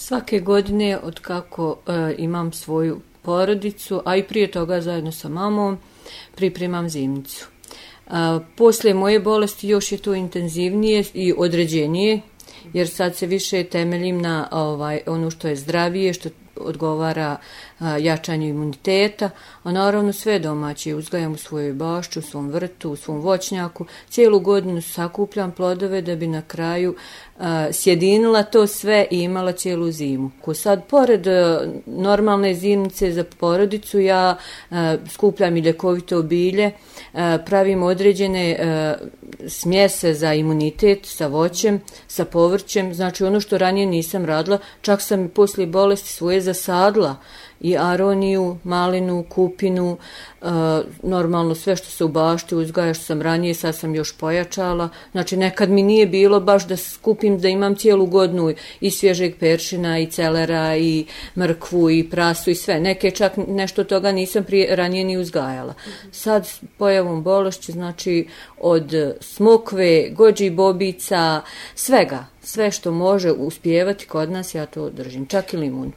Svake godine od kako imam svoju porodicu, a i prije toga zajedno sa mamom, pripremam zimnicu. Poslije moje bolesti još je to intenzivnije i određenije, jer sad se više temeljim na ono što je zdravije, što odgovara jačanju imuniteta, a naravno sve domaće uzgajam u svojoj bašči, u svom vrtu, u svom voćnjaku. Cijelu godinu sakupljam plodove da bi na kraju sjedinila to sve i imala cijelu zimu. Sad, pored normalne zimnice za porodicu, ja skupljam i ljekovito bilje, pravim određene smjese za imunitet sa voćem, sa povrćem, znači ono što ranije nisam radila, čak sam i poslije bolesti svoje zasadila i aroniju, malinu, kupinu, normalno sve što se u bašti uzgaja što sam ranije, sad sam još pojačala. Znači nekad mi nije bilo baš da skupim da imam cijelu godinu i svježeg peršina i celera i mrkvu i prasu i sve. Neke čak nešto toga nisam ranije ni uzgajala. Sad pojavom bolesti, znači od smokve, gođi bobica, svega, sve što može uspijevati kod nas ja to držim, čak i limun.